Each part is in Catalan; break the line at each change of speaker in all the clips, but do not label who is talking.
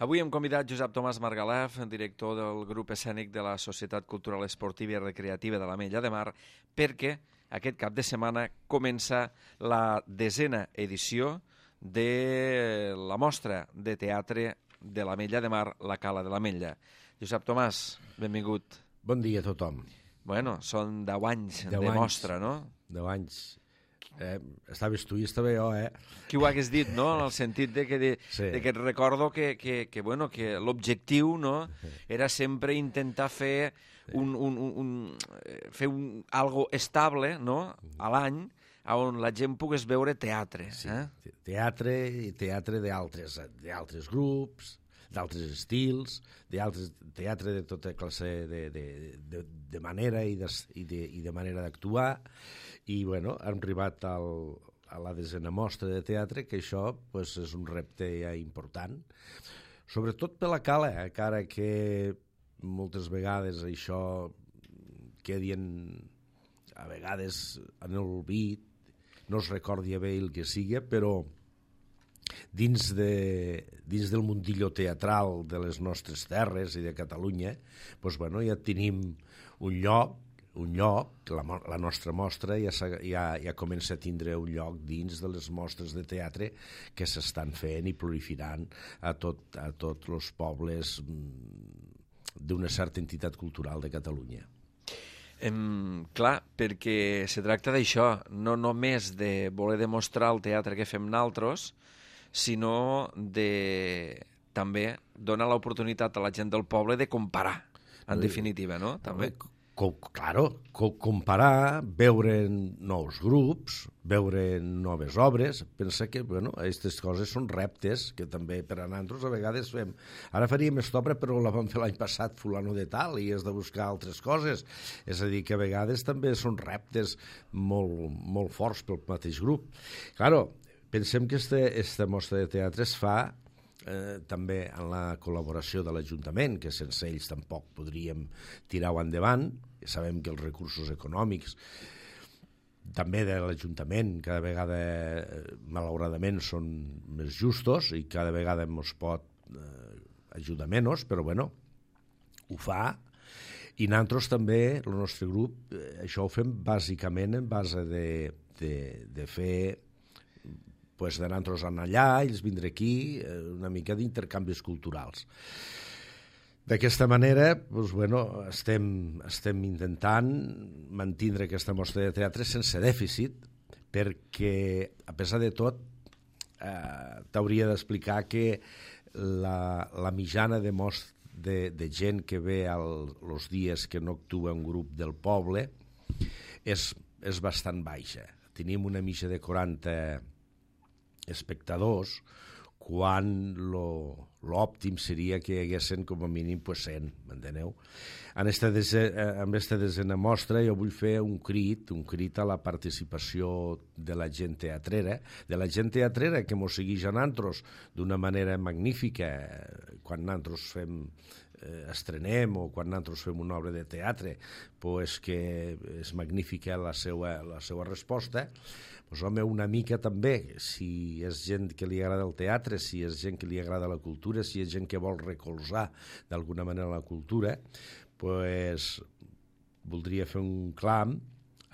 Avui hem convidat Josep Tomàs Margalef, director del grup escènic de la Societat Cultural Esportiva i Recreativa de l'Ametlla de Mar, perquè aquest cap de setmana comença la 10a edició de la mostra de teatre de l'Ametlla de Mar, la Cala de l'Ametlla. Josep Tomàs, benvingut.
Bon dia a tothom.
Bueno, són 10 anys de mostra, no?
10 anys. Estaves tu i estava jo,
Qui ho hagués dit, no? En el sentit de que recordo que l'objectiu, no, era sempre intentar fer algo estable, no, a l'any, on la gent pogués veure teatre.
Teatre i teatre d'altres grups, d'altres estils, teatre de tota classe de manera i de manera d'actuar. I, bueno, hem arribat a la 10a mostra de teatre, que això és un repte ja important, sobretot per la Cala, encara que moltes vegades això quedi a vegades en l'olvid, no es recordi bé el que sigui, però dins del mundillo teatral de les nostres terres i de Catalunya, ja tenim un lloc, la nostra mostra ja comença a tindre un lloc dins de les mostres de teatre que s'estan fent i proliferant a tots els pobles d'una certa entitat cultural de Catalunya.
Clar, perquè se tracta d'això, no només de voler demostrar el teatre que fem nosaltres, sinó de també donar l'oportunitat a la gent del poble de comparar, en definitiva, no? També.
Comparar, veure nous grups, veure noves obres. Pensa que, aquestes coses són reptes que també per a nosaltres a vegades fem. Ara faríem aquesta obra, però la vam fer l'any passat fulano de tal i has de buscar altres coses. És a dir, que a vegades també són reptes molt forts pel mateix grup. Claro, pensem que aquesta mostra de teatre es fa també en la col·laboració de l'Ajuntament, que sense ells tampoc podríem tirar-ho endavant. Sabem que els recursos econòmics també de l'Ajuntament cada vegada malauradament són més justos i cada vegada ens pot ajudar menys, però ho fa. I nosaltres també, el nostre grup, això ho fem bàsicament en base de fer de nosaltres anar allà, ells vindre aquí, una mica d'intercanvis culturals. D'aquesta manera, estem intentant mantenir aquesta mostra de teatre sense dèficit, perquè, a pesar de tot, t'hauria d'explicar que la mitjana de gent que ve els dies que no actua un grup del poble és bastant baixa. Tenim una mitja de 40 espectadors, quan l'òptim seria que hi haguessin com a mínim 100, m'enteneu? En aquesta 10a mostra jo vull fer un crit a la participació de la gent teatrera, que mos segueix a nosaltres d'una manera magnífica quan nosaltres estrenem o quan nosaltres fem una obra de teatre, que és magnífica la seva resposta. Una mica també, si és gent que li agrada el teatre, si és gent que li agrada la cultura, si és gent que vol recolzar d'alguna manera la cultura, voldria fer un clam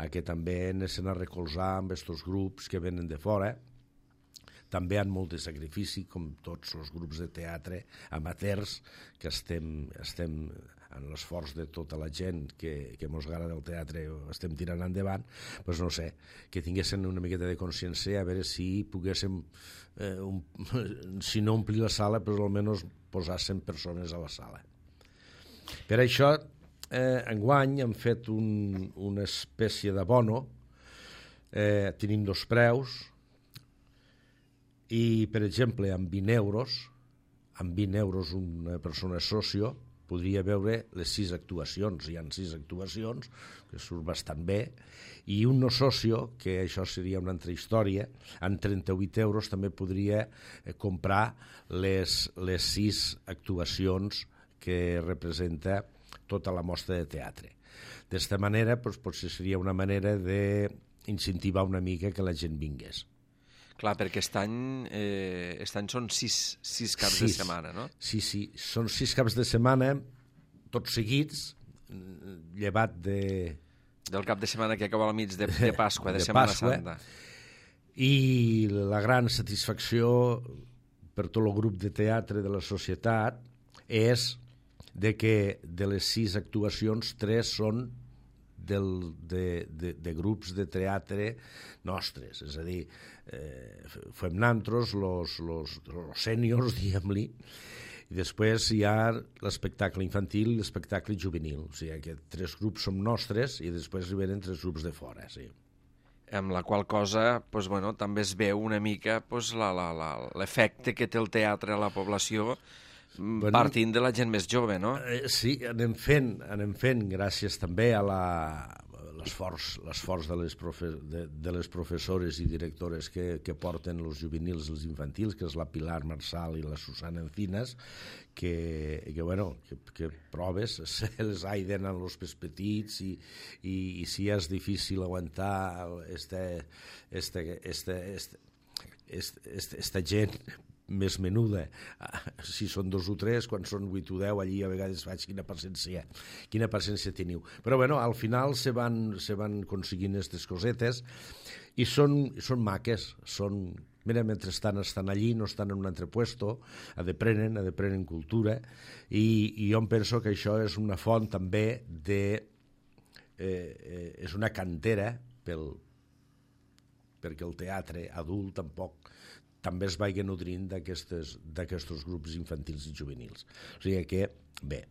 a que també anessin a recolzar amb aquests grups que venen de fora. També hi ha molt de sacrifici, com tots els grups de teatre amateurs, que estem en l'esforç de tota la gent que ens agrada el teatre estem tirant endavant, no sé, que tinguessin una miqueta de consciència a veure si poguéssim, si no omplir la sala, però almenys posar 100 persones a la sala. Per això, enguany hem fet una espècie d'abono, tenim 2 preus, i, per exemple, amb 20 euros una persona socio podria veure les 6 actuacions. Hi ha 6 actuacions, que surt bastant bé, i un no socio, que això seria una altra història, amb 38 euros també podria comprar les 6 actuacions que representa tota la mostra de teatre. D'esta manera, potser seria una manera d'incentivar una mica que la gent vingués.
Clar, perquè aquest any són sis caps de setmana, no?
Sí, són 6 caps de setmana, tots seguits, llevat
del cap de setmana que acaba al mig de Pasqua, de Setmana Santa.
I la gran satisfacció per tot el grup de teatre de la societat és de que de les 6 actuacions, 3 són de grups de teatre nostres, és a dir, fem nantros, los sèniors, diguem-li, i després hi ha l'espectacle infantil i l'espectacle juvenil, o sigui que 3 grups som nostres i després hi venen 3 grups de fora, sí.
Amb la qual cosa doncs, bueno, també es veu una mica doncs, l'efecte que té el teatre a la població partint de la gent més jove, no?
Sí, anem fent gràcies també a l'esforç de les professores i directores que porten els juvenils i els infantils, que és la Pilar Marsal i la Susana Encinas, que proves, se les aiden en els pes petits i si és difícil aguantar esta gent més menuda, si són 2 o 3, quan són 8 o 10, allí a vegades faig quina paciència teniu. Però bueno, al final se van aconseguint aquestes cosetes i són maques, mira, mentrestant estan allí, no estan en un altre puesto, aprenen cultura, i jo em penso que això és una font també és una cantera perquè el teatre adult també es vagi nodrint d'aquests grups infantils i juvenils. O sigui que, bé.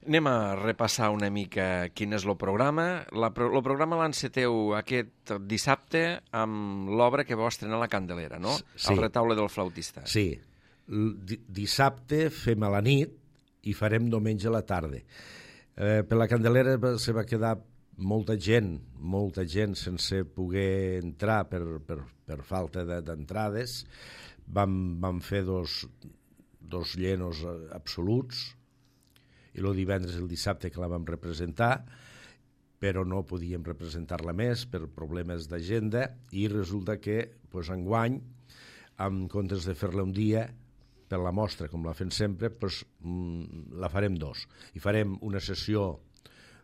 Anem a repassar una mica quin és el programa. El programa l'enceteu aquest dissabte amb l'obra que vau estrenar a la Candelera, no? Sí. El retaule del flautista.
Sí. Dissabte fem a la nit i farem diumenge a la tarda. Per la Candelera se va quedar molta gent sense poder entrar per falta d'entrades. Vam fer dos llenos absoluts i el divendres i el dissabte que la vam representar, però no podíem representar-la més per problemes d'agenda i resulta que enguany, en comptes de fer-la un dia per la mostra com la fem sempre, la farem 2 i farem una sessió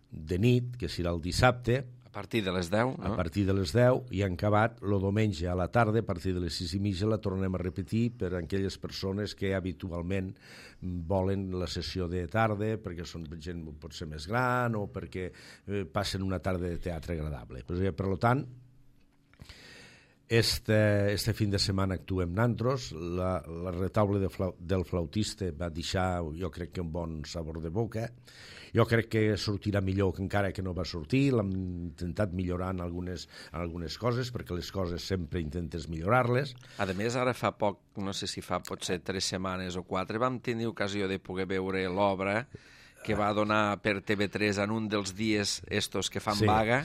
de nit, que serà el dissabte,
a partir de les 10, no?
A partir de les 10, i han acabat el diumenge a la tarda, a partir de les 6:30 la tornem a repetir per a aquelles persones que habitualment volen la sessió de tarda, perquè són gent potser més gran o perquè passen una tarda de teatre agradable. Per tant, este fin de setmana actuem nantros, la retaule del flautista va deixar, jo crec que un bon sabor de boca. Jo crec que sortirà millor que encara que no va sortir, l'hem intentat millorar en algunes coses, perquè les coses sempre intentes millorar-les.
A més, ara fa poc, no sé si fa potser 3 setmanes o 4, vam tenir ocasió de poder veure l'obra que va donar per TV3 en un dels dies estos que fan vaga,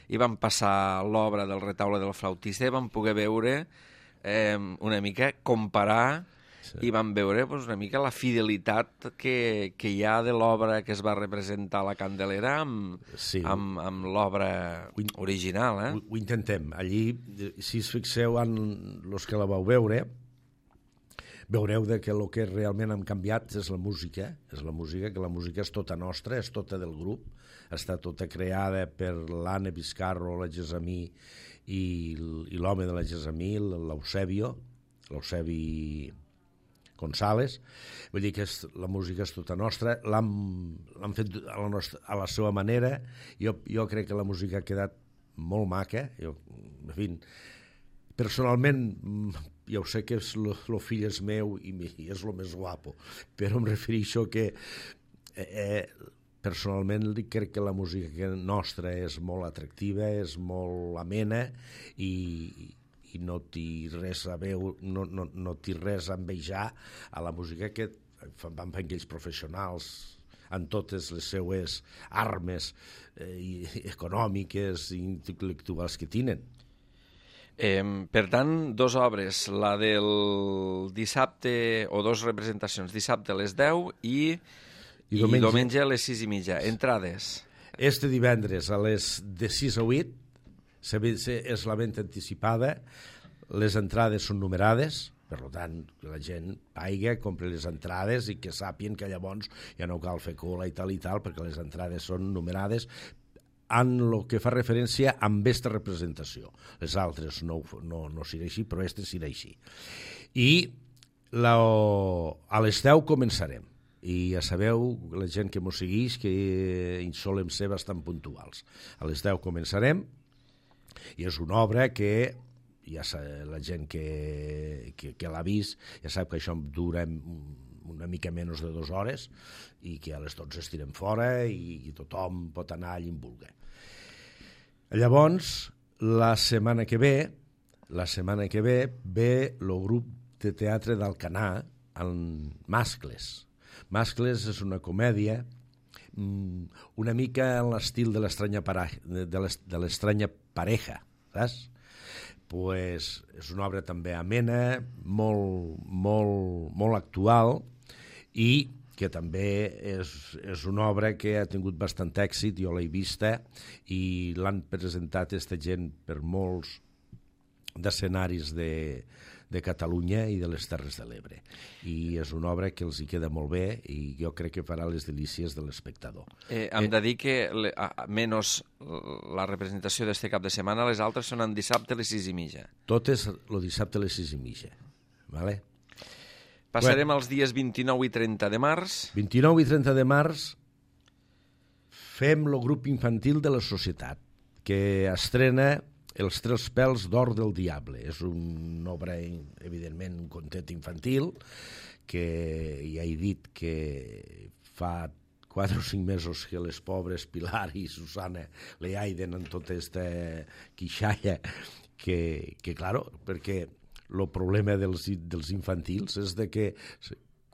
i vam passar l'obra del retaule del flautista i vam poder veure una mica, comparar, i vam veure una mica la fidelitat que hi ha de l'obra que es va representar a la Candelera amb l'obra original.
Ho intentem. Allí, si us fixeu en els que la vau veure, veureu que el que realment hem canviat és la música, que la música és tota nostra, és tota del grup, està tota creada per l'Anna Vizcarro, la Gesamí i l'home de la Gesamí, l'Eusebi González. Vull dir que la música és tota nostra, l'han fet a la seva manera. Jo crec que la música ha quedat molt maca. En fi, personalment, ja ho sé que el fill és meu i és el més guapo, però em refereixo que personalment crec que la música nostra és molt atractiva, és molt amena i no té res a veure, no té res a envejar a la música que van fer aquells professionals en totes les seues armes econòmiques i intel·lectuals que tenen.
Per tant, 2 obres, la del dissabte, o 2 representacions, dissabte a les 10 i diumenge a les 6:30. Entrades?
Este divendres de 6 a 8 és la venda anticipada, les entrades són numerades, per tant, que la gent paiga, compri les entrades i que sàpien que llavors ja no cal fer cola i tal, perquè les entrades són numerades en el que fa referència amb aquesta representació. Les altres no serà així, però aquesta serà així. I a les 10 començarem. I ja sabeu, la gent que mos segueix, que hi solem ser bastant puntuals. A les 10 començarem i és una obra que ja la gent que l'ha vist ja sap que això dura una mica menys de 2 hores i que a les 12 estirem fora i tothom pot anar allà on vulgui. Llavors, la setmana que ve ve el grup de teatre d'Alcanar amb Mascles. Mascles és una comèdia una mica en l'estil de l'estranya pareja, saps? Pues és una obra també amena, molt actual i que també és una obra que ha tingut bastant èxit, jo l'he vista i l'han presentat aquesta gent per molts d'escenaris de Catalunya i de les Terres de l'Ebre. I és una obra que els hi queda molt bé i jo crec que farà les delícies de l'espectador.
Hem de dir que, menys la representació d'aquest cap de setmana, les altres són en dissabte a les 6:30.
Totes el dissabte a les 6:30. Vale?
Passarem als dies 29 i 30 de març.
29 i 30 de març fem el grup infantil de la societat, que estrena Els 3 pèls d'or del diable. És una obra, evidentment, un contet infantil, que ja he dit que fa 4 o 5 mesos que les pobres Pilar i Susana le aiden en tota aquesta quixalla, que claro, perquè el problema dels infantils és de que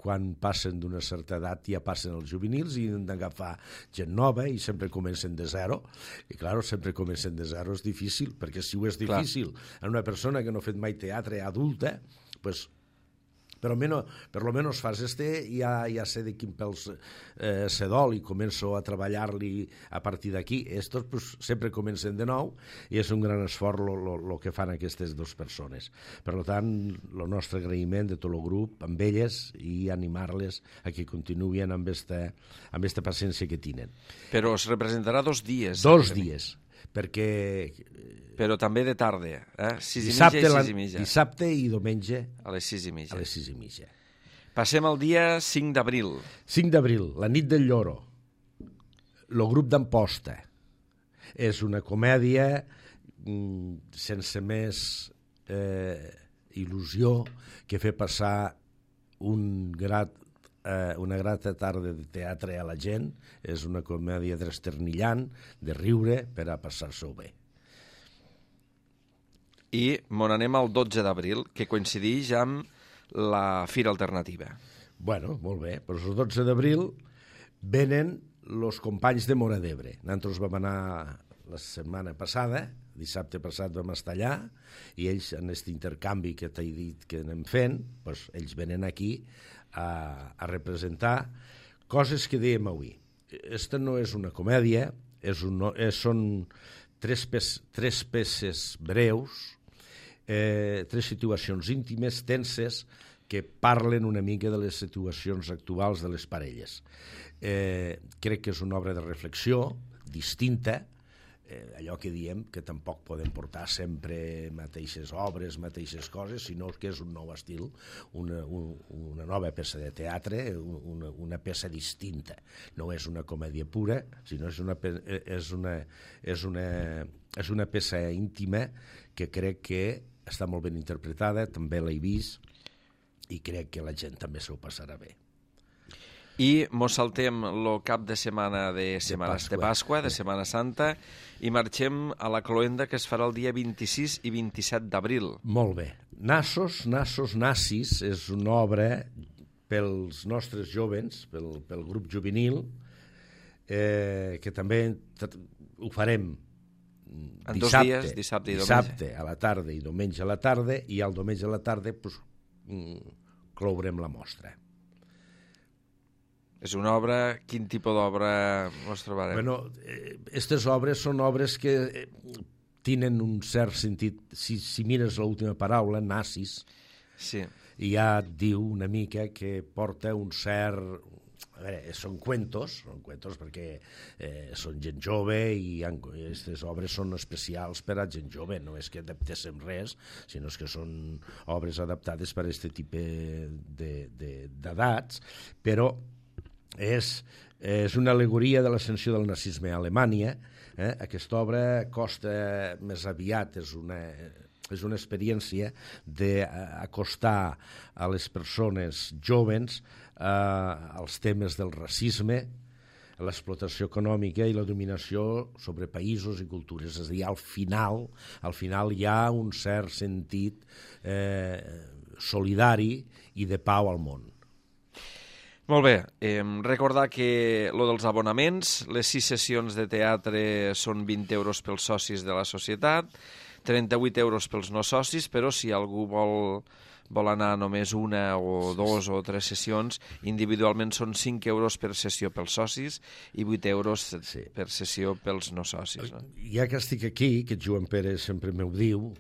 quan passen d'una certa edat ja passen els juvenils i han d'agafar gent nova i sempre comencen de zero. I, clar, sempre comencen de zero és difícil, perquè si ho és difícil en una persona que no ha fet mai teatre adulta, pues, per lo menos fas ja sé de quin pèls se dol i començo a treballar-li a partir d'aquí. Estos pues, sempre comencen de nou i és un gran esforç el que fan aquestes 2 persones. Per tant, el nostre agraïment de tot el grup amb elles i animar-les a que continuïn amb esta paciència que tenen.
Però es representarà 2 dies.
2 dies, perquè...
Però també de tarda, 6:30 i 6:30.
Dissabte i diumenge
a les 6:30.
A les 6:30.
Passem al dia 5 d'abril.
5 d'abril, la nit del lloro. El grup d'Amposta. És una comèdia sense més il·lusió que fer passar una grata tarda de teatre a la gent. És una comèdia trasternillant, de riure, per a passar-s'ho bé.
I n'anem al 12 d'abril, que coincideix amb la Fira Alternativa.
Bueno, molt bé. Però el 12 d'abril venen els companys de Móra d'Ebre. Nosaltres vam anar la setmana passada, dissabte passat vam estar allà, i ells, en aquest intercanvi que t'he dit que anem fent, doncs, ells venen aquí a representar coses que dèiem avui. Esta no és una comèdia, són tres peces breus, 3 situacions íntimes, tenses, que parlen una mica de les situacions actuals de les parelles. Crec que és una obra de reflexió distinta, allò que diem que tampoc podem portar sempre mateixes obres, mateixes coses, sinó que és un nou estil, una nova peça de teatre, una peça distinta. No és una comèdia pura, sinó és una peça íntima que crec que està molt ben interpretada, també l'he vist, i crec que la gent també s'ho passarà bé.
I mos saltem el cap de setmana de Pasqua, de Setmana Santa, i marxem a la cloenda que es farà el dia 26 i 27 d'abril.
Molt bé. Nassos, Nassis és una obra pels nostres jovens, pel grup juvenil, que també ho farem
en 2 dies, dissabte i diumenge.
Dissabte a la tarda i diumenge a la tarda, i el diumenge a la tarda clourem la mostra.
És una obra... Quin tipus d'obra ens trobarem?
Bueno, aquestes obres són obres que tenen un cert sentit, si mires l'última paraula, nazis,
Sí.
ja et diu una mica que porta un cert... A veure, són cuentos perquè són gent jove i aquestes obres són especials per a gent jove, no és que adaptéssim res, sinó que són obres adaptades per a aquest tipus d'edats, però és una al·legoria de l'ascensió del nazisme a Alemanya. Aquesta obra costa més aviat, és una experiència d'acostar a les persones joves als temes del racisme, l'explotació econòmica i la dominació sobre països i cultures. És a dir, al final hi ha un cert sentit solidari i de pau al món.
Molt bé, recordar que lo dels abonaments, les 6 sessions de teatre són 20 euros pels socis de la societat, 38 euros pels no socis, però si algú vol anar només una o 2 o 3 sessions, individualment són 5 euros per sessió pels socis i 8 euros per sessió pels no socis. No?
Ja que estic aquí, que Joan Pere sempre m'ho diu,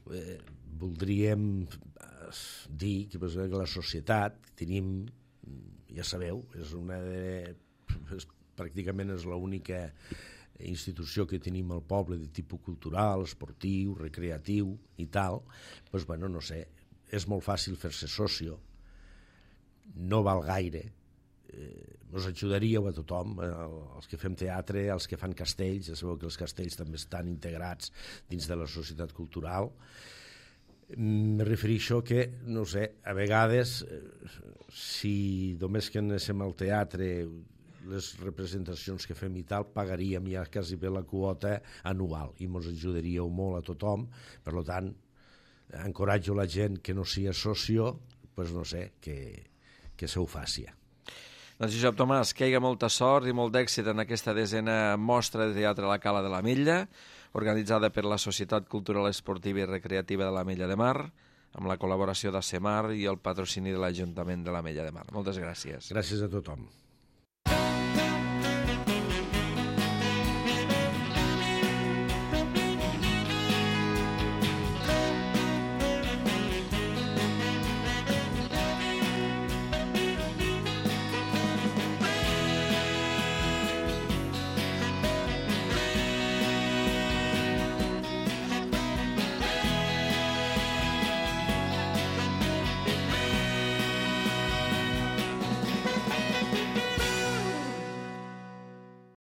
voldríem dir que la societat tenim, ja sabeu, pràcticament és l'única institució que tenim al poble de tipus cultural, esportiu, recreatiu i tal, doncs, bueno, no sé, és molt fàcil fer-se socio, no val gaire, us ajudaríeu a tothom, els que fem teatre, els que fan castells, ja sabeu que els castells també estan integrats dins de la societat cultural. Me refereixo que, no sé, a vegades, si només que anéssim al teatre, les representacions que fem i tal, pagaríem ja quasi bé la quota anual i ens ajudaríeu molt a tothom. Per tant, encoratjo la gent que no sigui socio, doncs no sé, que se ho faci.
Doncs Josep Tomàs, que hi hagi molta sort i molt d'èxit en aquesta 10a mostra de teatre a la Cala de l'Ametlla, organitzada per la Societat Cultural Esportiva i Recreativa de l'Ametlla de Mar, amb la col·laboració d'ACEMAR i el patrocini de l'Ajuntament de l'Ametlla de Mar. Moltes gràcies.
Gràcies a tothom.